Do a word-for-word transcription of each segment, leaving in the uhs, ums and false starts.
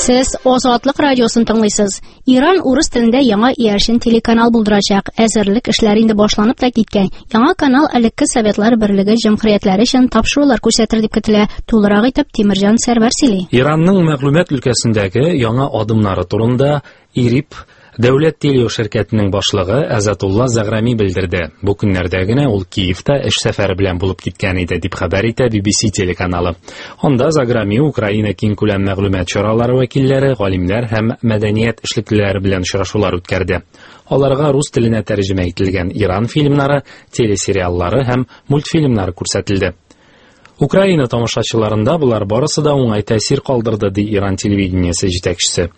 Сез Азатлык радиосын тыңлыйсыз. Иран урыс телендә яңа иярчен телеканал булдырачак. Әзерлек эшләре инде башланып та киткән. Яңа канал элекке Советлар Берлеге җөмһүриятләре өчен тапшырулар күрсәтер дип көтелә. Тулырак итеп Тимирҗан Сәрвәр сөйли. Иранның мәгълүмат өлкәсендәге яңа адымнары турында ИРИБ дәүләт телеширкәтенең башлыгы Азатулла Заграми белдерде. Бу көннәрдә генә ул Киевта эш сәфәре белән булып киткән иде, дип хәбәр итә би би си телеканалы. Анда Заграми Украина киңкүләм мәгълүмат чаралары вәкилләре, галимнәр һәм мәдәният эшлеклеләре белән очрашулар үткәрде. Аларга рус теленә тәрҗемә ителгән Иран фильмнары, телесериаллары һәм мультфильмнары күрсәтелде. Украина тамашачыларында булар барысы да уңай тәэсир калдырды, ди Иран телевидениесе җитәкчесе.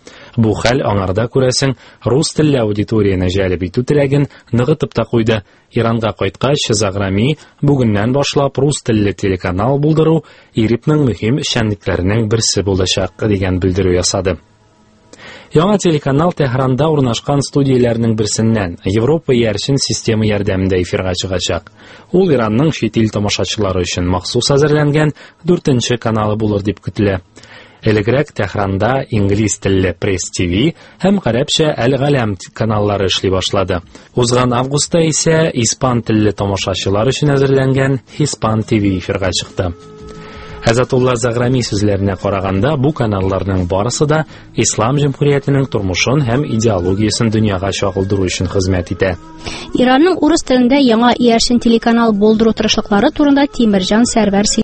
Бу хәл аңарда, күрәсең, рус телле аудиторияне җәлеп итү теләген ныгытып та куйды. Иранга кайткач, Заграми бүгеннән башлап рус телле телеканал булдыру ИРИБның мөһим эшчәнлекләренең берсе булачак дигән белдерү ясады. Яңа телеканал Тәһранда урнашкан студияләрнең берсеннән Европа иярчен система ярдәмендә эфирга чыгачак. Ул Иранның чит ил тамашачылары өчен махсус әзерләнгән дүртенче каналы булыр дип көтелә. Элегрәк Тәһранда инглиз телле Пресс ти ви һәм гарәпчә Әл-Галәм каналлары эшли башлады. Узган августта исә испан телле тамашачылар өчен әзерләнгән Испан ти ви эфирга чыкты. Азатулла Заграми сүзләренә караганда, бу каналларның барысы да Ислам җөмһүриятенең тормышын һәм идеологиясен дөньяга чагылдыру өчен хезмәт итә. Иранның урыс телендә яңа иярчен телеканал булдыру тырышлыклары турында Тимирҗан Сәрвәр сөйли.